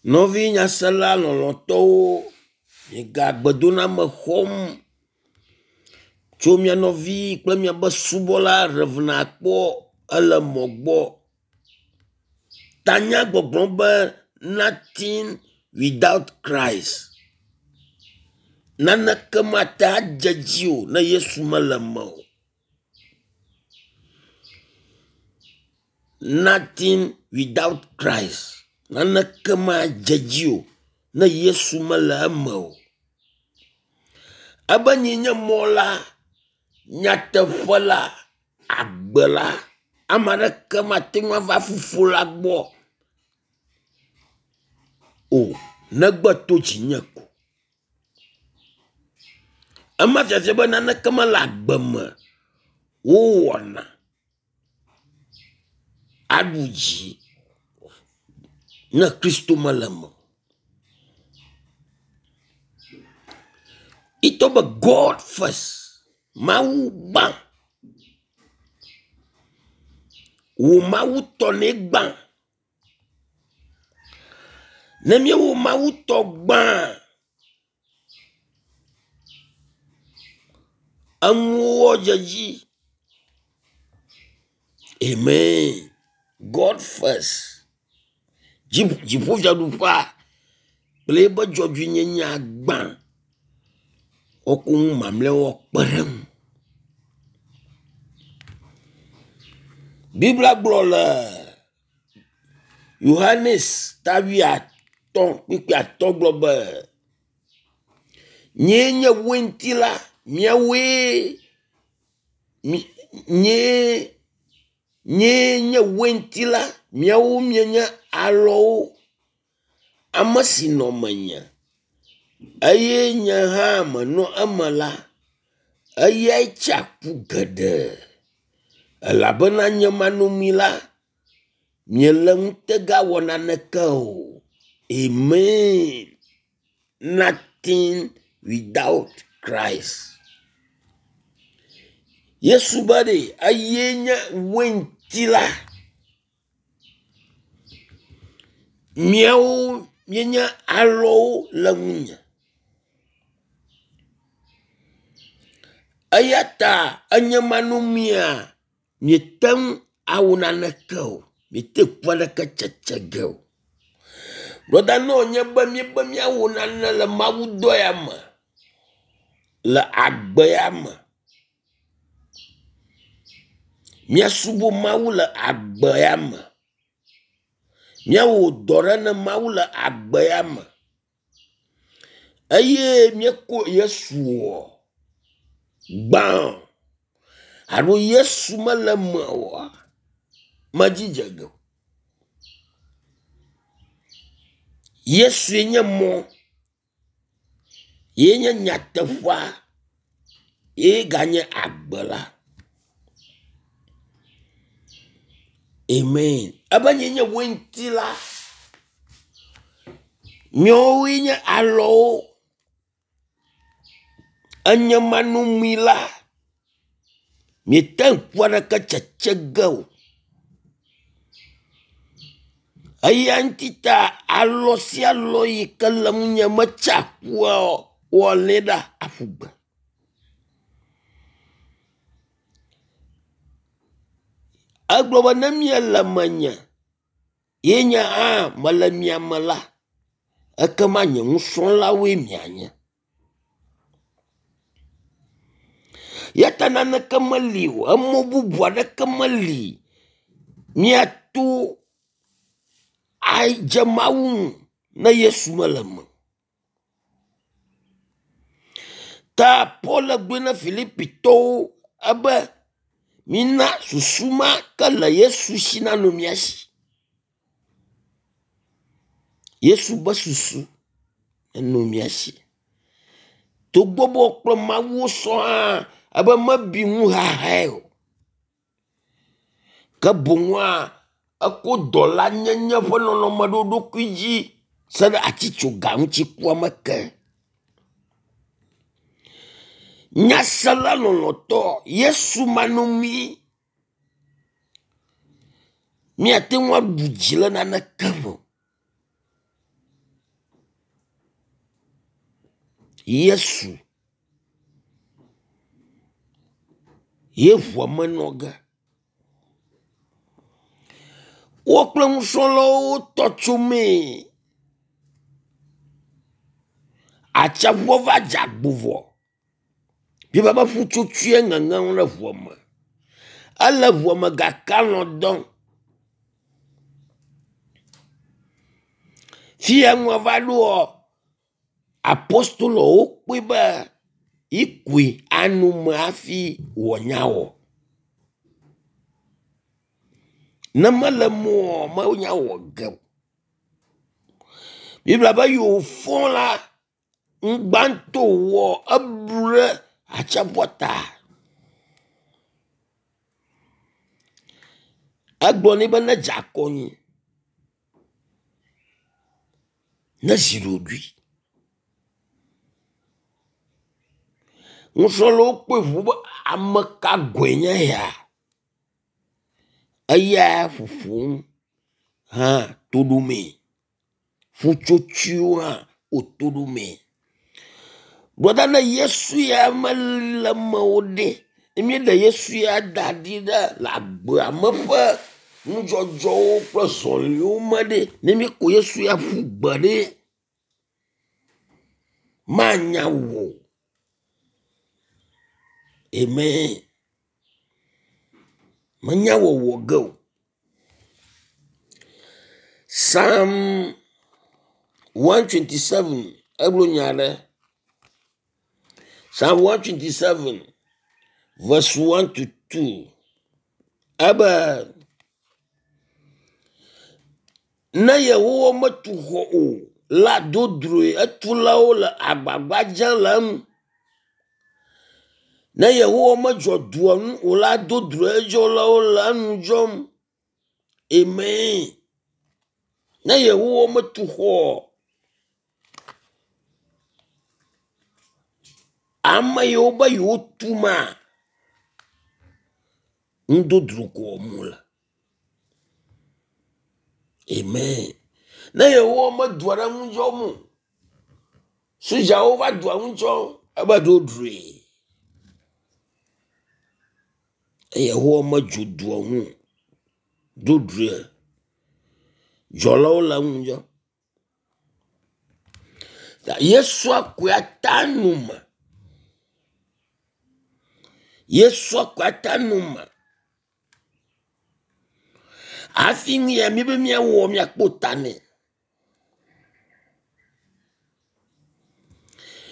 Nɔvi nyasela lɔlɔ̃tɔwo, miega gbedoname xɔm tso mia nɔvi kple miaƒe subɔla Rev. Akpɔ ele mɔ gbɔ. Tanya gbɔgblɔm be nothing without Christ. Naneke mate adze edzi o ne Yesu mele eme o. Nothing without Christ. Naneke madze edzi o ne Yesu mele eme o. Ebe nyee nye mɔ la, nyateƒe la, agbe la. Ame aɖeke mate ŋu ava fofo la gbɔ o negbe to dzinye ko. Ema fiafia be naneke mele agbe me wowɔna aɖu dzi ne Kristo mele eme o. Itɔ be God first, Mawu gbã. Wò Mawu tɔ nɛ gbã. Ne míewɔ Mawu tɔ gbã, enuwo dze edzi. Amen. God first. Dziƒofiaɖuƒea kple eƒe dzɔdzɔenyenyea gbã. Woako nu mamlɛawo akpe ɖe eŋu. Biblia gblɔ le Yohanes ta wuiatɔ̃ kpukpui atɔ̃ gblɔ be, Nyee nye weinti la, miawoe mi nyee nyee nye weinti la, miawo mienye alɔwo. Ame si nɔ menye eye nye hã menɔ eme la, eyae tsea ku geɖe elabena nye manɔmee la, miele ŋutega wɔ naneke o. Amen. Nothing without Christ. Yesu be ɖe eye nye weinti la. Miawo mienye alɔwo le ŋunye. Eya ta enye manɔmea, miete ŋu awɔ naneke o. Miete ŋu aɖeke tsetse ge o. Brɔda ne wònye be míebe míawɔ nane le Mawu dɔ ya me, le agbe ya me, míasubɔ Mawu le agbe ya me, míawɔ dɔ ɖe ne Mawu le agbe ya me eye míekɔ Yesu oa, gbã alo Yesu mele eme oa, medzi dze ge o. Yesue nye mɔ, ye nye nyateƒea, ye ganye agbe la. Amen. Ebe nye nye weinti la. Miawoe nye alɔwo. Enye manɔmee la, miete ŋku aɖeke tsetse ge o. Eya ŋuti ta alɔ sia alɔ yi ke le ŋunye metsea kua o, woalé ɖa aƒu gbe. Egblɔ be ne miele menye ye nye hã mele mia me la, ekema nye nusrɔ̃lawoe mianye. Ya ta naneke meli o, emɔ bubu aɖeke meli míato adze Mawu ŋu ne Yesu mele eme o. Ta Paul gblɔe na Filipitɔwo ebe mina susu ma ke le Yesu si nanɔ mía si. Yesu be susu enɔ mía si. Togbɔ be wokple Mawu sɔ hã ebe mebi nuxaxae o. Ke boŋua eko dɔlanyenye ƒe nɔnɔme ɖo eɖokui dzi se ɖe atitsoga ŋuti kua me ke. Nyasela lɔlɔ̃tɔ Yesu manɔmee míate ŋu aɖu dzi le naneke me o. Yesu ye ʋua me nɔ ge. Wo kple nusrɔ̃lawo tɔ tso mee. Atsiaƒua va dze agbo vɔ. Biblia be ƒutsotsoe ŋeŋem le ŋua me. Ele ŋua me gake alɔ̃ dɔm. Fi ya nua va ɖoa, apostolowo kpɔe be yikoe anɔ eme hafi wòanya wɔ. Ne mele eme oa, menya wɔ ge o. Biblia be yi wòfɔ la, ŋgbãtɔ wòwɔ eblu ɖe atsiaƒua ta. Egblɔ nɛ be nedze akɔ anyi, nezi ɖoɖoe. Nusrɔ̃lawo kpɔe ŋu be ame ka gɔ̃e nye ya? Eya ƒoƒom hã to ɖomee. Ƒutsotsoewo hã woto ɖomee. Brɔda ne Yesu ya mele eme o ɖe, ne míeɖe Yesu ya da ɖi ɖe le agbea me ƒe nudzɔdzɔwo kple zɔliwo me ɖe, ne míekɔ Yesu ya ƒu gbe ɖe, manya wɔ o. Amen. Menya wɔwɔ ge o. Psalm 127 egblɔ nya aɖe. Psalm 127 verse 1 to 2. Ebe ne Yehowa metu xɔ o la dodroe etulawo le agbagba dzem le eŋu. Ne Yehowa medzɔ dua ŋu o la dodroe edzɔlawo le enu dzɔm. Amen. Ne Yehowa metu xɔ ame yiwo be yewotu ma, nudodro ko wɔm wole. Amen. Ne Yehowa medua ɖe ŋu dzɔm o, sodzawo va dua ŋu dzɔm ebe dodroe. Yehowa medzo dua ŋu o, dodroe. Dzɔlawo le eŋu dzɔm. Yesua koe ata nu me. Yesua koe ata nu me. Hafi nu ya míbe míawɔ míakpɔ ta nɛ.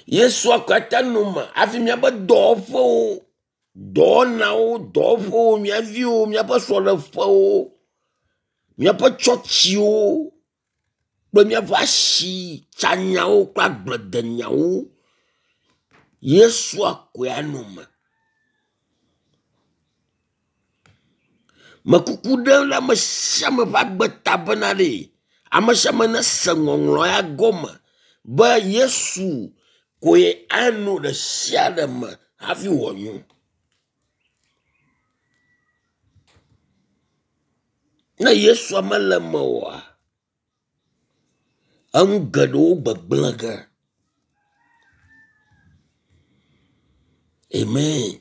Yesua koe ata nu me hafi míaƒe dɔwɔƒewo, dɔwɔnawo, dɔwɔƒewo, mía viwo, míaƒe srɔ̃ɖeƒewo, míaƒe tsɔtsiwo kple míaƒe asitsanyawo kple agbledenyawo. Yesua koe anɔ eme. Mekuku ɖem ɖe ame sia ame ƒe agbe ta bena ɖe ame sia ame nese ŋɔŋlɔ ya gɔme be Yesu koe ano ɖe sia ɖe me hafi wòanyo. Ne Yesua mele eme oa, enu geɖewo gbegblẽ ge. Amen.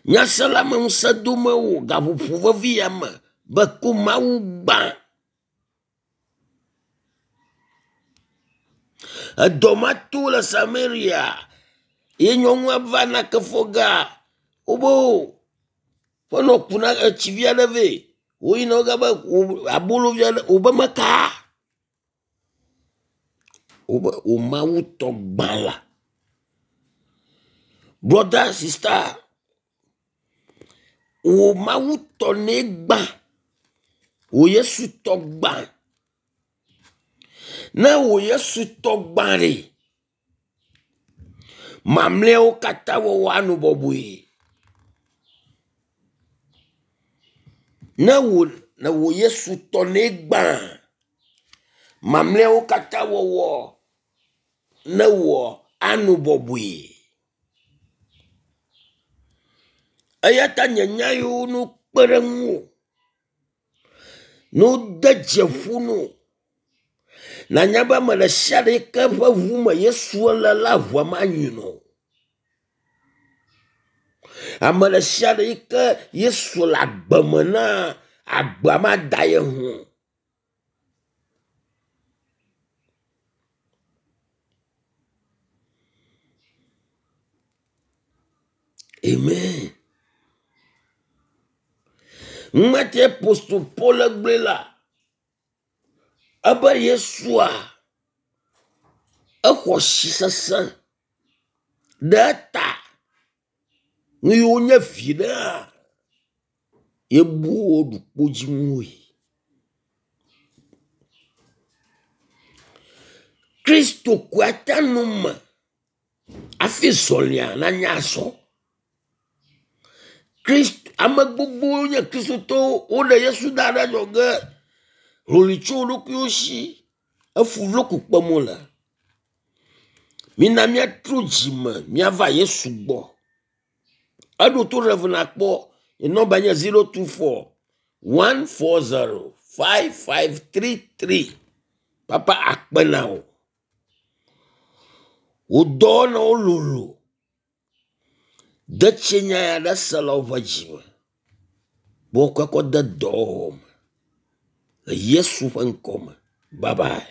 Nyasela me ŋusẽ dome wò gaƒoƒo vevi ya me be ko Mawu gbã. Edɔ ma to le Samaria ye nyɔnua va nake fɔ gea wobe o ƒe nɔ ku na etsi vi aɖe vɛ. Woyina wogabe abolo vi aɖe wobe meka. Wobe wò Mawu tɔ gbã la. Brother, sister, wò Mawu tɔ nɛ gbã. Wò Yesu tɔ gbã. Ne wò Yesu tɔ gbã ɖe, mamlɛawo katã wɔwɔ anɔ bɔbɔe. Ne wò ne wò Yesu tɔ nɛ gbã, mamlɛawo katã wɔwɔ ne wɔ anɔ bɔbɔe. Eya ta nye nya yiwo no kpe ɖe ŋuwò, ne wode dze ƒo na wò. Nanya be ame ɖe sia ɖe yi ke ƒe ʋu me Yesu le la ʋua manyi nɔ o. Ame ɖe sia ɖe yi ke Yesu le agbe me na agbea mada ye ŋu o. Amen. Ŋmete apostol Paul gblɔe la, ebe Yesua exɔ si sesẽ ɖe eta. Nu yiwo nye viɖea yebu wo ɖu kpodzinue. Kristo koe ate nu me hafi zɔlia nanya azɔ. Krist ame gbogbowo nye kristotɔwo woɖe Yesu da ɖe adzɔge. Hloli tso wo ɖokuiwo si. Efu vlo ko kpem wole. Mina míatrɔ dzime míava Yesu gbɔ. Eɖo to ɖe nakpɔ. Nye nɔmba nye 024 140 5533. Papa akpe na wò. Wò dɔwɔnawo lolo. De tsi nya ya ɖe se le woƒe dzi me. Be woakɔe kɔ de dɔwɔwɔ me. Le Yesu ƒe ŋkɔ me. Bye bye.